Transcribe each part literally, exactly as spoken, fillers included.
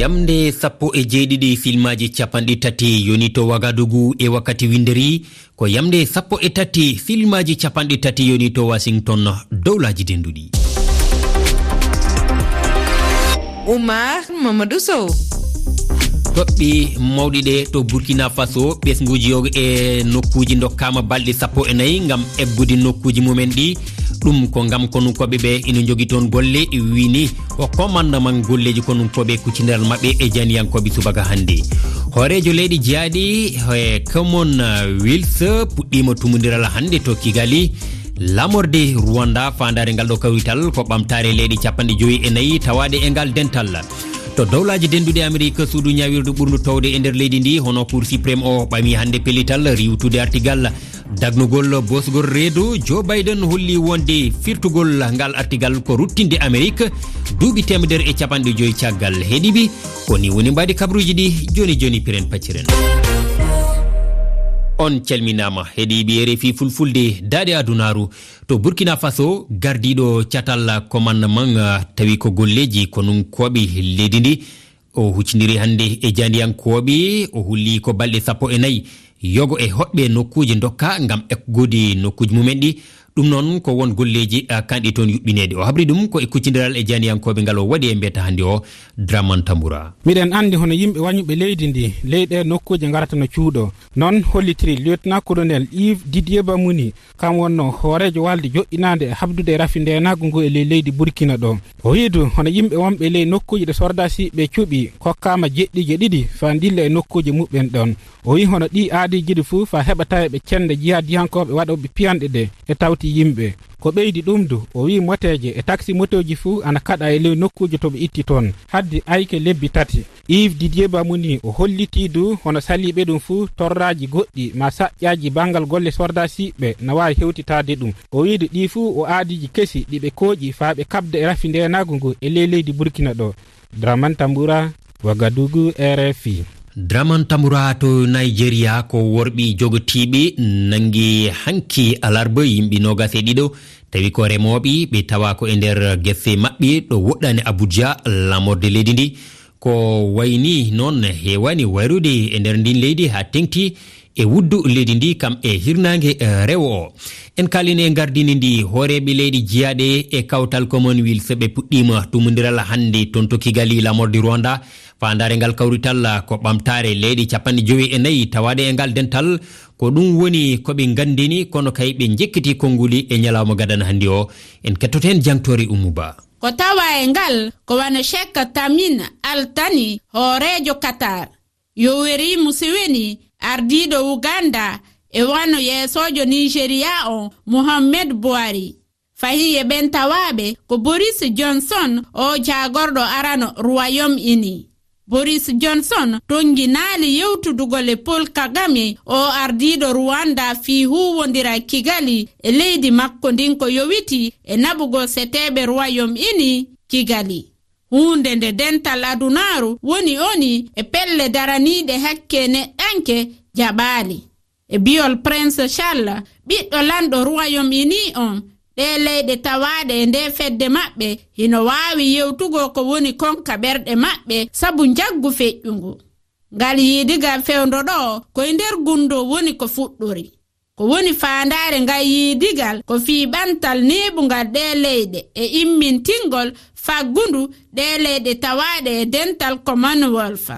Yamnde sappo e jeeɗiɗi filmaaji capanɗe tati yoni to Wagadugu e wakkati winnderi, ko yamnde sappo e tati filmaaji capanɗe tati yoni to Washington, dowlaaji denduɗi. Oumar Mamadou Sow. Toɓɓe mawɗi ɗe to Burkina Faso, ɓesnguuji yo e nokkuuji ndokkaama balɗe sappo e nayi ngam eggude nokkuuji mumen ɗi. Ɗum ko ngam konunkooɓe ɓe ina njogi toon golle, wini o commandement golleeji konunkooɓe kuccindiral maɓɓe e janiyankooɓe subaka hannde. Hooreejo leyɗe jeyaaɗe e Commonwealth puɗɗiima tumundiral hannde to Kigali. Lamorde Rwanda, faandaare ngal ɗo kawrital ko ɓamtaare leyɗe capanɗe joyi e nayi tawaaɗe e ngal dental. To dowlaaji denduɗe Amerik, suudu ñaawirdu ɓurndu towde e nder leydi ndi, hono Cour suprême o, ɓami hannde pellital riiwtude artigal dagnugol bosgol reedu. Joe Biden holli wonde firtugol ngal artigal ko ruttinde Amerik duuɓi teemedere e capanɗe joyi caggal. Heɗiiɓe, ko ni woni mbaadi kabruuji ɗi. Joni joni, piren pacciren. On calminaama, heɗiiɓe R F I Fulfulde, daaɗe adunaaru. To Burkina Faso, gardiiɗo catal commandement, ah, tawi ko golleeji konunkooɓe leydi ndi, o huccindiri hannde e jaandiyankooɓe, o hulli ko balɗe sappo e nayi yogo e hoɗɓe nokkuuji ndokka ngam eggude nokkuuji mumen ɗi. Ɗum noon ko won golleeji, ah, kanɗi toon yuɓɓineede. O habri ɗum ko e kuccindiral e jaandiyankooɓe ngal o waɗi e mbeta hannde o, Draman Tambura. Miɗen anndi hono yimɓe wañuɓe leydi ndi, ley ɗe nokkuuje ngarata no cuuɗo. Noon hollitiri Lieutenant Colonel Yves Didier Bamouni, kam wonno hooreejo walde joɗɗinaande e habdude e rafi ndeenaagu ngu e ley leydi Burkina ɗo. O wiyi du, hono yimɓe wonɓe ley nokkuuji ɗe sordaasiiɓe cuɓi, kokkaama jeɗɗiije ɗiɗi faa ndilla e nokkuuje muɓɓen ɗon. O wiyi hono ɗii aadiiji ɗi fuu faa heɓa taweɓe cennde jihaadiyankooɓe waɗooɓe piyanɗe ɗe e tawti yimɓe. Ko ɓeydi ɗum du, o wiyi moteeje e taksi motooji fuu ana kaɗa e ley nokkuuji to ɓe itti toon, haddi ayke lebbi tati. Yves Didier Bamouni o hollitii du hono saliiɓe ɗum fuu torraaji goɗɗi maa saƴƴaaji banngal golle sordaasiiɓe na waawi hewtitaade ɗum. O wiyi du ɗii fuu o aadiiji kesi ɗi ɓe kooƴi faa ɓe kaɓda e rafi ndeenaagu ngu e ley leydi Burkina ɗo. Draman Tambura, Wagadugu, R F I. Draman Tambura to Nigeria, ko worɓe jogotiiɓe nanngi hanki alarba yimɓe noogas e ɗiɗo, tawi ko remooɓe, ɓe tawa ko e nder gese maɓɓe ɗo woɗɗaani Abuja, laamorde leydi ndi. Ko wayni noon heewani wayrude e nder ndin leydi haa teŋti e wuddu leydi ndi kam e hirnaange, eh, rewo o. En kaalini e ngardini ndi hooreeɓe leyɗe jiyaaɗe e kawtal Commonwealth ɓe puɗɗiima tumundiral hannde toon to Kigali, laamorde Rwanda. Faandaare ngal kawrital ko ɓamtaare leyɗe capanɗe jowi e nayi tawaaɗe e ngal dental. Ko ɗum woni ko ɓe nganndini, kono kay ɓe njekkiti konnguli e ñalawma gadana hannde o. En kettoto heen jangtoore Ummu Ba. Ko tawa e ngal ko wano Sheikh Tamim Al Thani, hooreejo Qatar, Yoweri Museveni, ardiiɗo Uganda, e wano yeesoojo Nigeria on, Muhammad Buhari. Fahin e ɓen tawaaɓe ko Boris Johnson, o jaagorɗo arano Royaume Uni. Boris Johnson tonnginaali yewtudugol e Paul Kagame, o ardiiɗo Rwanda, fii huuwondiral Kigali e leydi makko ndin ko yowiti e naɓugol seteeɓe Royaume Uni Kigali. Huunde nde dental adunaaru woni oni e pelle daraniiɗe hakke neɗɗanke jaɓaali. E bi'ol Prince Charles, ɓiɗɗo lanɗo Royaume Uni on, ɗee leyɗe tawaaɗe e ndee fedde maɓɓe hino waawi yewtugol ko woni kon ka ɓerɗe maɓɓe sabu njaggu feƴƴungu. Ngal yiidigal fewndo ɗoo ko e nder gunndoo woni ko fuɗɗori. Ko woni faandaare ngal yiidigal ko fii ɓantal neeɓungal ɗee leyɗe e immintingol faggundu ɗee leyɗe tawaaɗe e dental Commonwealth.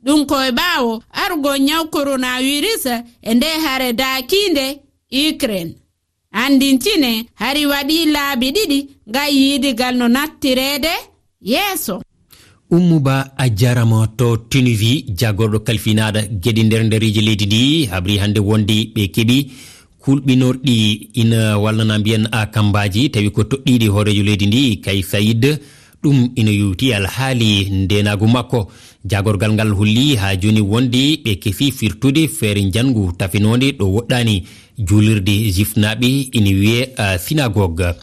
Ɗum ko e ɓaawo arugol ñaw coronavirus e ndee hare daakiinde Ukraine. Anndintine, hari waɗii laabi ɗiɗi ngal yiidigal no nattireede yeeso. Ummu Ba, a jaaraama. To Tunisie, jaagorɗo kalfinaaɗo geɗe nder ndereeji leydi ndi habri hannde wonde ɓe keɓi kulɓinorɗi ina wallana mbiyen a kambaaji, tawi ko toɗɗiiɗi hooreejo leydi ndi, Kais Saied. Ɗum ina yowti alhaali ndeenaagu makko. Jaagorgal ngal holli haa jooni wonde ɓe kesi firtude feere njanngu tafinoonde ɗo woɗɗaani juulirde jifnaaɓe, ina wiyee, ah, synagogue.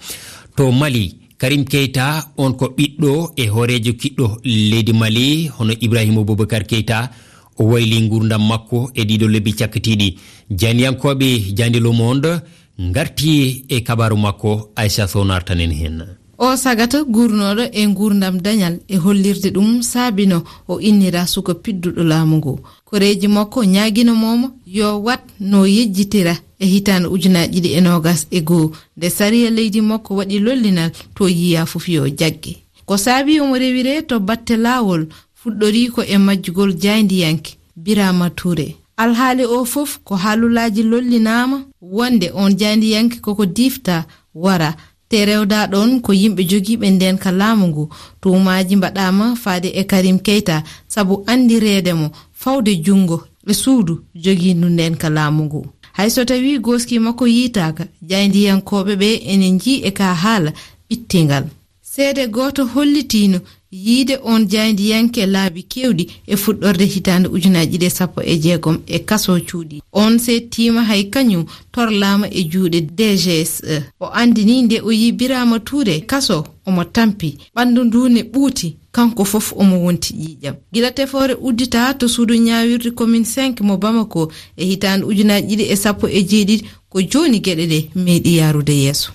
To Mali, Karim Keita, on ko ɓiɗɗo e hooreejo kiɗɗo leydi Mali, hono Ibrahima Boubacar Keita, o wayli nguurndam makko e ɗiɗo lebbi cakkitiiɗi. Janiyankooɓe Jandi Le Monde ngarti e kabaaru makko, Aisha Sow nartanen heen. O sagata guurnooɗo e nguurndam dañal e hollirde ɗum saabino o innira suka pidduɗo laamu ngu. Koreeji makko ñaagino moomo yo wat no yejjitira e hitaande ujunaaji ɗiɗi e noogas e goo, nde sariya leydi makko waɗi lollinal to yiya fof yo jagge. Ko saabi omo rewire to batte laawol, fuɗɗori ko e majjugol jaayndiyanke Birama Touré. Alhaali o fof ko haalulaaji lollinaama wonde on jaayndiyanke koko difta wara, te rewda ɗon ko yimɓe jogiiɓe nden ka laamu ngu. Tuumaaji mbaɗaama faade e Karim Keita sabu anndireede mo fawde junngo e suudu jogiindu nden ka laamu ngu. Hay so tawi gooski makko yiitaaka, jaayndiyankooɓe ɓe ene njii e ka haala ɓittingal. Seede gooto hollitiino yiide on jaayndiyanke laabi keewɗi e fuɗɗorde hitaande ujunaaji ɗiɗi e sappo e jeegom e kaso cuuɗi. On seettiima hay kañum torlaama e juuɗe D G S E. O anndini nde o yi Birama Touré kaso omo tampi, ɓanndu ndu ne ɓuuti, kanko fof omo wonti ƴiiƴam. Gila tefoore uddita to suudu ñaawirde commune cinq mo Bamako e hitaande ujunaaji ɗiɗi e sappo e jeeɗiɗi, ko jooni geɗe ɗe meeɗi yaarude yeeso.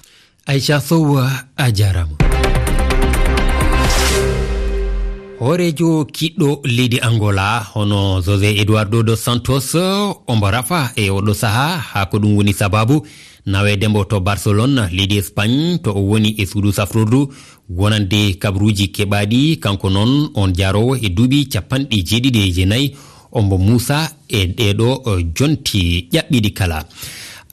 Aisha Sow, a jaaraama. Hooreejo kiɗɗo leydi Angola, hono José Eduardo dos Santos, ombo rafa e oɗo sahaa, haa ko ɗum woni sababu naweede mbo to Barcelone, leydi Espagne, to o woni e suudu safrordu, wonande kabaruuji keɓaaɗi. Kanko noon, on jaaroowo e duuɓi capanɗe jeeɗiɗi e jeenayi, ombo muusa e ɗeeɗo, eh, jonti ƴaɓɓiiɗi kala.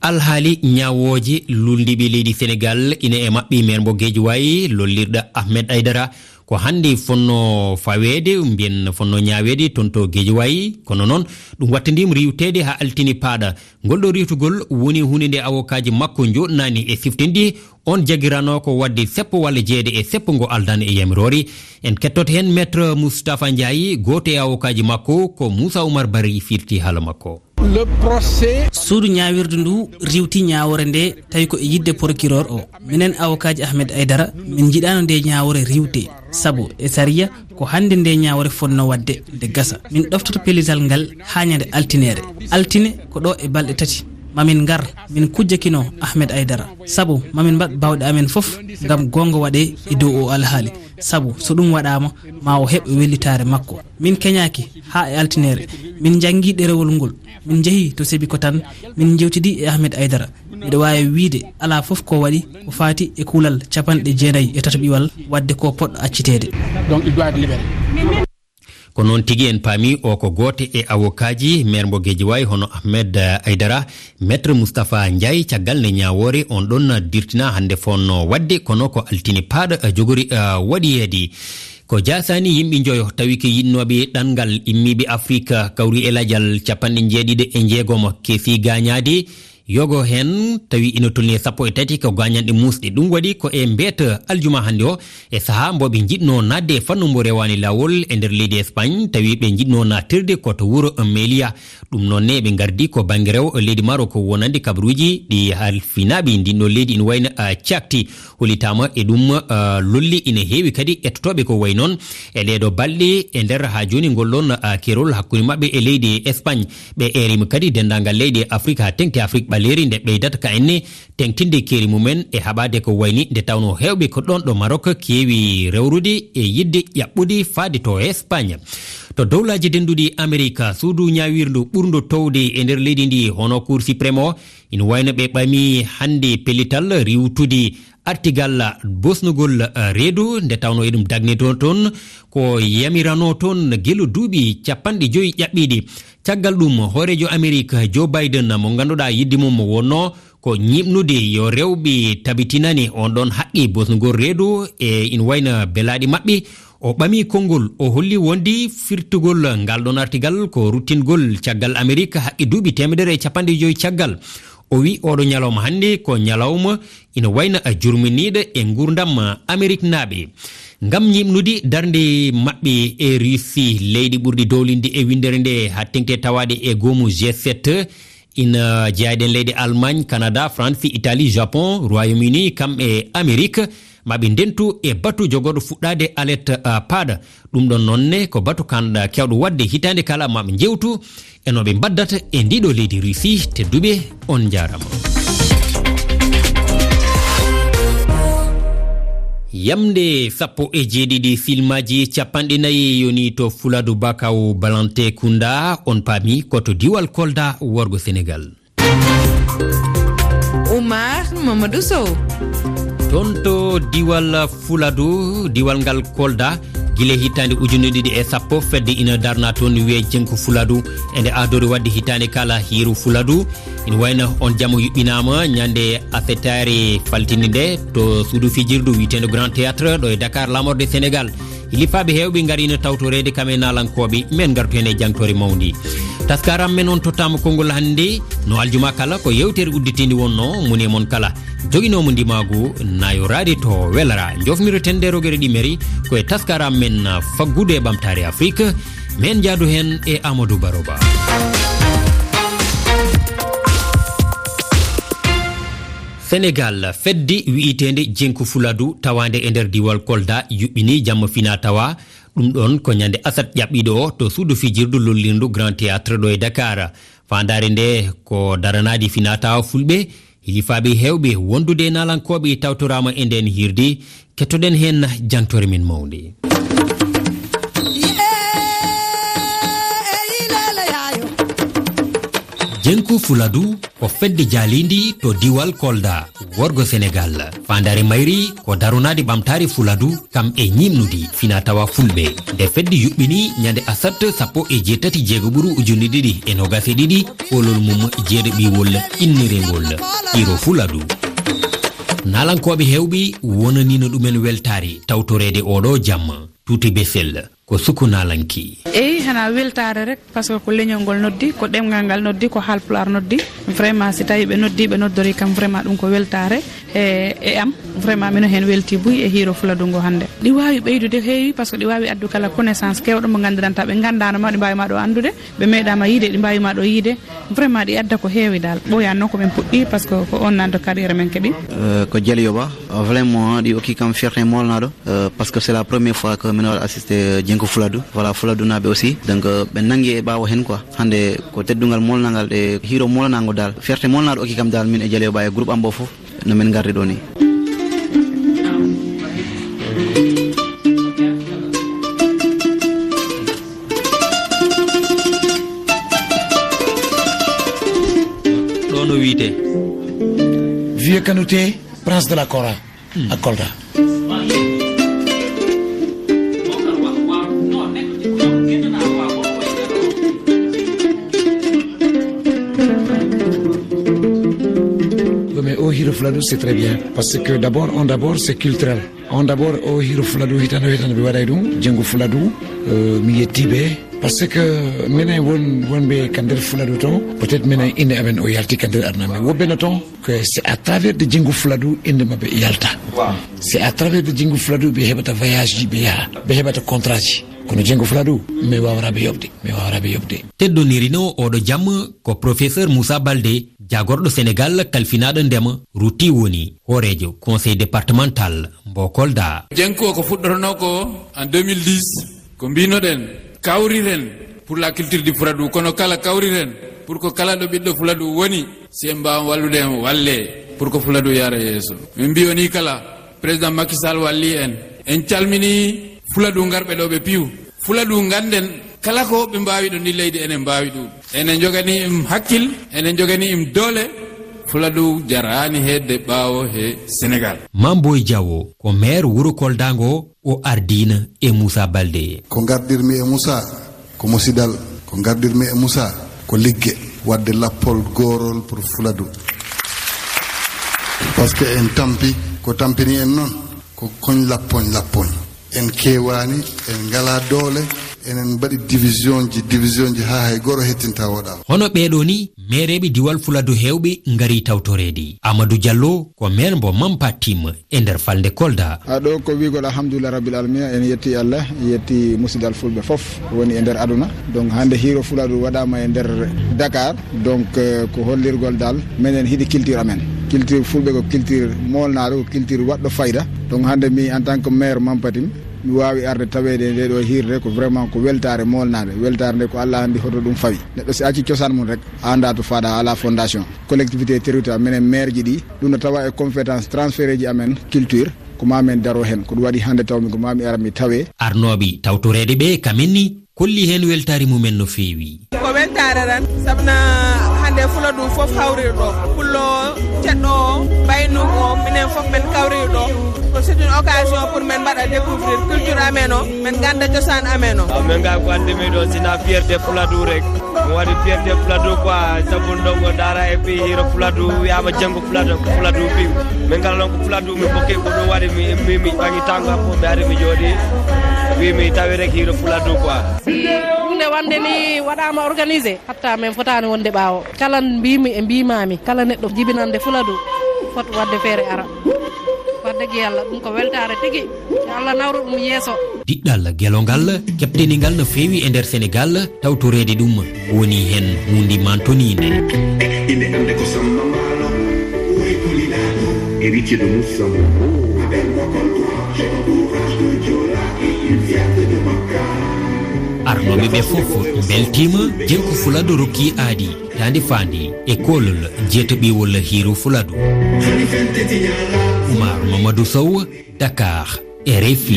Alhaali ñaawooje lulndiiɓe leydi Senegaal ina e maɓɓe meer mbo Guédiawaye, lollirɗo Ahmed Aidara, ko hannde fonno faweede, mbiyen fonno ñaaweede toon to Guédiawaye, kono noon ɗum wattandiima riiwteede haa altine paaɗa. Ngol ɗoo riiwtugol woni huunde nde awokaaji makko njooɗnaani e siftinɗi. On jaggiranoo ko waɗde seppo walla jeeɗe e seppo ngo aldaani e yamiroore. En kettoto heen Maître Moustapha Ndiaye, gooto e awokaaji makko, ko Moussa Oumar Barry firti haala makko. Le procès. Suudu ñaawirdu ndu riiwti ñaawoore nde, tawi ko e yiɗde procureur o. Minen awokaaji Ahmed Aidara, min njiɗaano nde ñaawoore riiwte, sabu e sariya ko hannde nde ñaawoore fotnoo waɗde nde gasa. Min ɗoftoto pellital ngal haa ñande altineere. Altine ko ɗo e balɗe tati. Mamin ngar, min kujjakino Ahmed Aidara. Sabu mamin mbaɗ baawɗe amen fof ngam goonga waɗe e dow o alhaali. Sabu so ɗum waɗaama, ma o heɓ wellitaare makko. Min keñaaki haa e altineere. Min njanngi ɗerewol ngol. Min njehi to Sébikotane, min njewtidi e Ahmed Aidara. Miɗo waawi wiyde alaa fof ko waɗi ko faati e kuulal capanɗe jeenayi e tataɓiwal, waɗde ko poɗɗo acciteede. Donc, il doit être libéré. Ko noon tigi en paami o ko gooto e awokaaji meer mbo Guédiawaye hono Ahmed, eh, Aidara, Maître Moustapha Ndiaye, caggal nde ñaawoore on ɗon dirtina hannde fonno waɗde, kono ko altine paaɗo, eh, jogori, eh, waɗiyeede. Ko jaasaani yimɓe njoyo tawi ko yiɗnooɓe ɗanngal immiiɓe Afrik kawri e lajal capanɗe jeeɗiɗi e jeegom keesi gaañaade. Yogo heen tawi ina tolni e sappo e tati ko gaañanɗe muusɗe. Ɗum waɗi ko e mbeeta aljuma hannde o, e sahaa mbo ɓe njiɗnoo naatde e fannu mbo rewaani laawol e nder leydi Espagne, tawi ɓe njiɗnoo naattirde ko to wuro Melilla. Ɗum noon ne ɓe ngardi ko bannge rewo leydi Maroc, wonande kabaruuji ɗi halfinaaɓe ndin ɗo leydi ina wayno, ah, cakti. Hollitaama e ɗum, ah, lolli ina heewi kadi ettotooɓe ko wayi noon e ɗee ɗoo balɗe e nder haa jooni ngol ɗoon, ah, keerol hakkunde maɓɓe e leydi Espagne. Ɓe eeriima kadi denndaangal leyɗe Afrik haa teŋti Afrik ɓaleeri nde ɓeydata ka enne teŋtinde keeri mumen e haɓaade ko wayni nde tawnoo heewɓe ko ɗoon ɗo Maroc keewi rewrude e yiɗde ƴaɓɓude faade to Espagne. To dowlaaji dennduɗi Amerik, suudu ñaawirndu ɓurndu towde e nder leydi ndi hono Cour suprême o, ina wayno ɓe ɓami hannde pellital riiwtude artigal bosnugol, eh, reedu, nde tawnoo eɗum dagnitoo toon ko yamiranoo toon gila duuɓi capanɗe joyi ƴaɓɓiiɗi. Caggal ɗum, hooreejo Amerik Joe Biden mo ngannduɗaa yiɗde mum mo wonnoo ko ñiiɓnude yo rewɓe tabitinane on ɗon haqqi bosnugol reedu e ina wayna belaaɗi maɓɓe. O ɓami konngol, o holli wonde firtugol ngal ɗon artigal ko ruttingol caggal Amerik haqqi duuɓi teemedere e capanɗe joyi caggal. O wi oɗo ñalawma hannde ko ñalawma ina wayna a jurminiiɗo e nguurndam Ameriknaaɓe. Ngam ñiiɓnude darnde maɓɓe e Russie, leyɗe ɓurɗe dowlinde e winndere nde haa teŋti tawaade e goomu G sept, ina jeyaaɗen leyɗe Allemagne, Canada, France, Italie, Japon, Royaume-Uni, kam e Amerik, ma ɓe ndentu e batu jogorɗo fuɗɗaade alerte, ah, paaɗa. Ɗum ɗon noon ne ko batu kanɗa keewɗo waɗde hitaande kala, ma ɓe njeewtu e no ɓe mbaddata e ndiɗo leydi Russie. Tedduɓe, on njaarama. Yamnde sappo e jeeɗiɗi filmaaji capanɗe nayi yoni to Fuladu Bakaw Balante Kunda, on paami ko to diwal Kolda worgo Senegal. Oumar Mamadou Sow. Toon to diwal Fuladu, diwal ngal Kolda, gila hitaande ujunere ɗiɗi e sappo, fedde ina darna toon, wiyee Jenko Fuladu, ende aadori waɗde hitaande kala hiiru Fuladu. Ina wayno on jamo yuɓɓinaama ñande asetaare faltinde nde to suudu fijirdu wiyeteendo Grand Théâtre ɗo e Dakar, laamorde Senegal. Hilifaaɓe heewɓe ngariino tawtoreede kam e naalankooɓe, men ngartu heen e jangtoore mawndi. Taskaram men on tottaama konngol hannde, no aljuma kala, ko yeewtere udditiinde wonnoo, moni e mon kala joginoomo ndimaagu, naayoraade to welara. Njofnirten nde rogere ɗi mari ko e taskaram men faggudu e ɓamtaare Afrik. Men njaadu heen e Amadou Baroba. Senegal, fedde wiyeteende Jenko Fuladu tawaande e nder diwal Kolda yuɓɓini jamma fina tawa. Ɗum ɗoon ko ñande asat ƴaɓɓiiɗo o to suudu fijirdu lollirndu Grand Théâtre ɗo e Dakar. Faandaare nde ko daranaade fina tawa fulɓe. Hilifaaɓe heewɓe wondude e naalankooɓe tawtoraama e ndeen hiirde. Kettoɗen heen jangtoore men mawnde. Jenko Fuladu ko fedde jaaliindi to diwal Kolda, worgo Senegal. Faandaare mayri ko daronaade ɓamtaare Fuladu, kam e ñiiɓnude fina tawa fulɓe. Nde fedde yuɓɓini ñande asat sappo e jeetati jeego ɓuru ujunere ɗiɗi e noogas e ɗiɗi, koolol mum jeeɗaɓiwol innirengol Hiiro Fuladu. Naalankooɓe heewɓe wonaniino ɗumen weltaare tawtoreede oɗo jamma. Tuuti Besel ko suku naalanke. Eyi, hana weltaare rek, parce que ko leñol ngol noddi, ko ɗemngal ngal noddi, ko Haalpulaar noddi. Vraiment, si tawi ɓe noddi, ɓe noddori kam, vraiment, ɗum ko weltaare e, e am. Vraiment, mino heen welti buy e Hiiro Fuladu ngo hannde. Ɗi waawi ɓeydude heewi, parce que ɗi waawi addu kala connaissance keewɗo mo nganndiranta ɓe nganndaano ma, ɗi mbaawi ma ɗo anndude, ɓe meeɗaama yiide, ɗi mbaawi ma ɗo yiide. Vraiment, ɗi adda ko heewi dal. Ɓooyaani noon ko min puɗɗi, parce que ko on naan to carrière men keɓi. Euh, ko Jaliyo Ba. Vraiment, ɗi okki kam fierté molnaɗo, euh, parce que c'est la première fois que mino waɗa assisté Jenko Fuladu. Voilà, Fuladu naɓe aussi. Donc, euh, ɓe nangi e ɓaawo hen quoi. Hande ko teddungal molnangal e hiiro molnango dal. Fierté molnaɗo okki kam dal min e Jaliyo Ba e groupe am bo fof. No min ngardi ɗo ni. Ɗo no wiite. Vieux Kanouté, prince de la Kora, à Kolda. Mais au Hiro Fuladu, c'est très bien. Parce que d'abord, on d'abord, c'est culturel. On d'abord, o Hiro Fuladu, hitande, hitande, ɓe waɗay ɗum, Jengu Fuladu, euh, mi yetti ɓe. Parce que minen won, wonɓe ka nder Fuladu to, peut-être minen inde amen o yalti ka nder aduna. Mais woɓɓe no to, que c'est à travers de Jengu Fuladu inde maɓɓe yalta. C'est à travers de Jengu Fuladu ɓe heɓata voyage ji ɓe yaha, ɓe heɓata contrat ji. Kono Jengu Fuladu, mi wawraɓe yoɓde, mi wawraɓe yoɓde. Teddonirino oɗo jam ko professeur Moussa Baldé, jagorɗo Sénégal kalfinaɗo ndema, rutti woni hoorejo conseil départemental mbo Kolda. Jenku o ko fuɗɗotono ko en deux mille dix, ko mbinoɗen, kawriren pour la culture du Fuladu, kono kala kawriren pour ko kala ɗo ɓiɗɗo Fuladu woni, si en mbaawa wallude en, walle pour ko Fuladu yaara yeeso. Min mbiyo ni kala, président Macky Sall walli en. En calmini Fuladu ngarɓe ɗo ɓe piyu. Fuladu ganden kala ko ɓe mbaawi ɗo ndi leydi enen mbaawi ɗum. Enen jogani im hakkil, enen jogani im doole. Fuladu jaraani hedde ɓaawo he Sénégal. Mamboy Diawo ko maire wuro Kolda ngo, o ardina e Moussa Baldé. Ko ngardirmi e Moussa, ko musidal, ko ngardirmi e Moussa, ko ligge, wadde lappol goorol pour Fuladu. Parce que en tampi, ko tampini en noon, ko koñ lappoñ lappoñ. En keewaani, en ngalaa doole, enen mbaɗi division ji, division ji haa hay goro hettinta woɗaa. Hono ɓeeɗo ni, meereeɓe diwal Fuladu heewɓe ngari tawtoreede. Amadou Diallo ko maire mbo Mampa Tim e nder falnde Kolda. Ha ɗo ko wiigol alhamdulillah rabbil alamina, en yetti Allah, yetti musidal fulɓe fof woni e nder aduna. Donc hannde Hiiro Fuladu waɗaama e nder Dakar. Donc, euh, ko hollirgol dal menen hiɗi culture amen. Culture fulɓe ko culture molnaaɗo, ko culture waɗɗo fayda. Donc hannde mi en tant que maire Mampatim, mi waawi arde taweede e nde ɗo hiirde ko vraiment ko weltaare molnaade. Weltaare nde ko Allah anndi hoto ɗum fawi. Neɗɗo si acci cosaan mum rek, a anndaa to faaɗa, alaa fondation. Collectivité territoriale, menen maire ji ɗi, ɗum no tawa e compétence transféré ji amen culture. Ko maa men daro heen, ko ɗum waɗi hannde taw mi ko maa mi ara mi tawe. Arnooɓe tawtoreede ɓe, kamen ni, kolli heen weltaare mumen no feewi. Ko weltaare tan, sabuna hannde Fuladu fof hawriri ɗo. Pullo ceɗɗo o, Baynuk o, minen fof men kawriri ɗo. Ko c'est une occasion pour men mbaɗa découvrir culture amen o, men ngannda cosaan amen o. Ah, men ngaa ko anndi mi ɗo, sina fierté Fuladu rek. Mi waɗi fierté Fuladu quoi, sabu ndongo daara e fii hiiro Fuladu, wiyaama janngo Fuladu, ko Fuladu fii. Min kala noon ko Fuladu min kokki, ko ɗum waɗi mi, mi, mi ɓangi tango am fof, mi ari mi jooɗi. Wi mi tawi rek hiiro Fuladu quoi. Si huunde wonde ni waɗaama organisé, hatta min fotaani wonde ɓaawo. Kala mbiimi e mbiimaami, kala neɗɗo jibinande Fuladu, fot waɗde feere ara. Wax dëgg Yàlla, ɗum ko weltaare tigi. Yo Allah nawru ɗum yeeso. Diɗɗal gelongal, keɓteningal no feewi e nder Senegal, tawtoreede ɗum woni heen huunde mantoniinde. Inde annde ko Samba Mbaalo, ɓuri kulinaɗo. Héritier de Moussa Moro. Avec mon contour, je t'encourage de Diola et une fierté de Makka. Arnooɓe ɓe fof mbeltiima, Jengku Fuladu rokki aadi, daande faande e koolol jeetaɓiwol hiiro Fuladu. Umar Mamadou Sow, Dakar, R F I.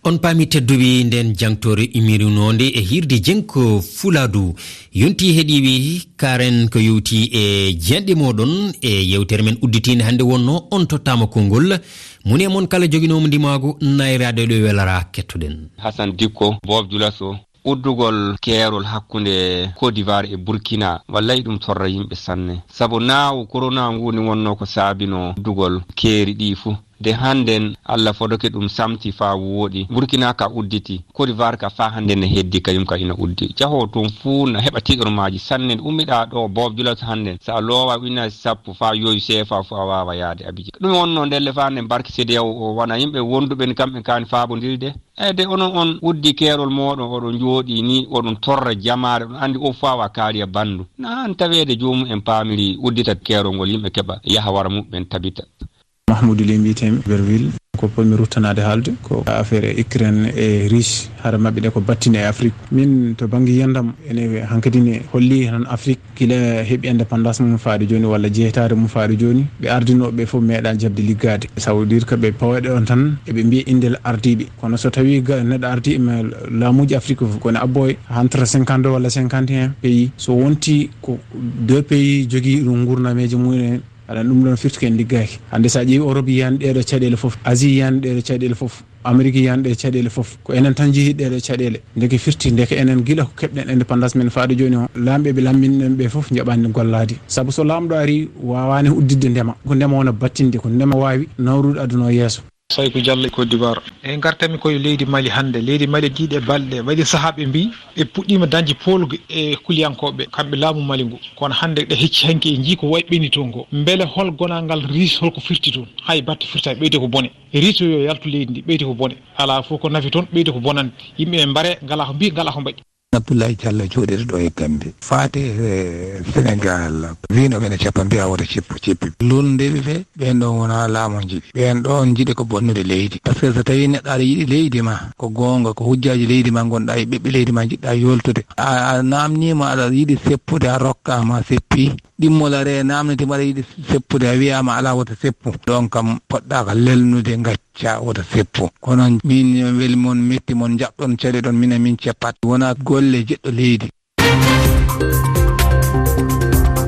On paami tedduɓe, nden jangtore imirinoonde e hirde Jengku Fuladu. Yonti heɗiiɓe, karen ko yowti e jeenɗe mooɗon e yewtere men udditiinde hannde wonno on tottaama konngol. Moni e mon kala joginoomo ndimaagu, nayraade ɗo welara kettoɗen. Hassan Dikko, Bob Julaso. Uddugol keerol hakkunde Côte d'Ivoire e Burkina, wallay ɗum torra yimɓe sanne. Sabu naawu korona ngu ni wonno ko saabino uddugol keeri ɗi fuu. De hannden Allah fodoke ɗum samti faa wooɗi. Burkina ka udditi, Côte d'Ivoire ka faa hannden ne heddi kañum ka ina uddi. Jahoo tun fuu na heɓa tiiɗormaaji sanne. Ummiɗaa ɗo Bob Julaso hannden, so a loowa ujunaaji sappo faa yooyu seefa fuu a waawa yaade Abidjan. Ɗum wonno ndelle faa hannden barki C D A O o wona yimɓe wonduɓe ni kamɓe kaani faabondiri de. E de onon on uddi keerol mooɗon, oɗon njooɗii ni, oɗon torra jamaare, oɗon anndi o faawa kaariya banndu. Na an taweede joomum en paamiri uddita keerol ngol, yimɓe keɓa yaha wara muɓɓen tabita. Mahmoudou Ly mbiyetee-mi, Berville. Ko potmi ruttanaade haalde ko affaire Ukraine e Russie, hara maɓɓe ɗe ko battine e Afrique. Min to bannge yiyandam, ene hankadi ne holli tan Afrique gila heɓi indépendance mum faade jooni walla jeytaare mum faade jooni, ɓe ardinooɓe ɓe fof meeɗaa jaɓde liggaade. Ça veut dire que ɓe pawaɗe on tan, eɓe mbiya indel ardiiɓe. Kono so tawii ga-, neɗɗo ardii e ma-, laamuuji Afrique fof, kono abbo e entre cinquante walla cinquante et un pays, so wonti ko deux pays jogii ɗum nguurnameeje mum en, aɗa ɗum ɗon firti ko en liggaaki. Hannde so a ƴeewi Europe yiyaani ɗeeɗo caɗeele fof, Asie yiyaani ɗeeɗo caɗeele fof, Amérique yiyaani ɗee caɗeele fof. Ko enen tan njehi ɗeeɗo caɗeele. Ndeke firti, ndeke enen gila ko keɓɗen indépendance men faade jooni o, laamɓe ɓe lamminɗen ɓe fof njaɓaani gollaade. Sabu so laamɗo ari, waawaani udditde ndema. Ko ndema wona battinde, ko ndema waawi nawrude aduna o yeeso. Sayku Jallo e Côte d'Ivoire. E ngartami koye leydi Mali hannde. Leydi Mali ɗiɗe balɗe waɗi sahaa ɓe mbii ɓe puɗɗiima dañde poolgu e kuliyankooɓe, kamɓe laamu Mali ngu. Kono hannde ɗe hecci hanki e njii ko wayi ɓenni toon ko. Mbele hol gonangal Riis, holko firti toon? Hay batte firtaani, ɓeydi ko bone. Riis yo yaltu leydi ndi, ɓeydi ko bone. Alaa fof ko nafi toon, ɓeydi ko bonande. Yimɓe ɓe mbare, ngalaa ko mbii, ngalaa ko mbaɗi. Abdoulaye Diallo jooɗiiɗo ɗo e Gambie. Faati e Senegal, wiino ɓe ne cappa, mbiya wota ceppu, ceppi. Lolndeeɓe ɓe, ɓen ɗon wonaa laamu njiɗi. Ɓen ɗon njiɗi ko bonnude leydi. Par ce que so tawii neɗɗo aɗa yiɗi leydi ma, ko goonga, ko hujjaaji leydi ma ngonɗaa e ɓiɓɓe leydi ma njiɗɗaa yoltude. A, a naamniima aɗa yiɗi seppude, a rokkaama a seppi. Ɗimmol aree naamnitiima aɗa yiɗi seppude, a wiyaama alaa wota seppu. Ɗon kam poɗɗaaka lelnude ngacca wota seppu. Kono min weli mon metti mon njaɓɗon caɗeɗon minen min ceppat. Wonaa golle jeɗɗo leydi.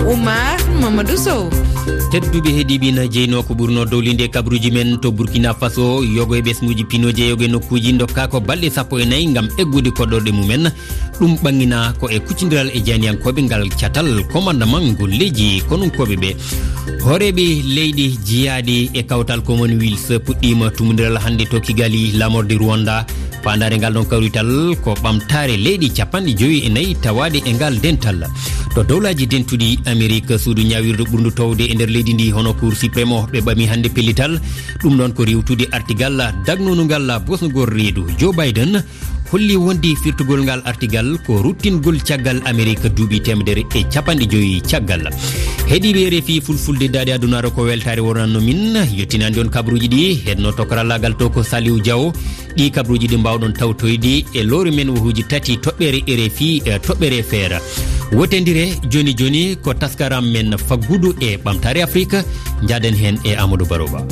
Oumar Mamadou Sow. Tedduɓe heɗiiɓe, na jeynoo ko ɓurnoo dowlinde kabruuji men to Burkina Faso, yogo e ɓesnguuji pinooji e yogo e nokkuuji ndokkaa ko balɗe sappo e nayi ngam eggude koɗorɗe mumen. Ɗum ɓanginaa ko e kuccondiral e jayniyankooɓe ngal catal, commandement ngol leydi konunkooɓe ɓe. Hooreeɓe leyɗe jeyaaɗe e kawtal Commonwealth puɗɗiima tumondiral hannde to Kigali, laamorde Rwanda. Faandaare ngal ɗon kawrital ko ɓamtaare leyɗe cappanɗe jowi e nayi tawaaɗe e ngal dental. To Dowlaaji Dentuɗi Amerik, suudu ñaawirdu ɓurndu toowde e nder leydi ndi, hono Cour Suprême o, ɓe ɓami hannde pellital. Ɗum ɗon ko riiwtude artigal dagnungal bosnugol reedu. Joe Biden holli wonde firtugol ngal artigal ko ruttingol caggal Amerik duuɓi teemedere e cappanɗe jowi caggal. Heɗiiɓe R F I Fulfulde, daaɗe adunaaru ko weltaare wonanno min. Yettinaande on kabaruuji ɗi, heɗnooto karallaagal to ko Saliou Diaw. Ɗi kabaruuji ɗi mbaawɗon tawtoyde e lowre men wahuuji tati, toɓɓere R F I, e toɓɓere F R. Wotondire jooni jooni ko taskaram men faggudu e ɓamtaare Afrik. Njaaden heen e Amadou Baroba.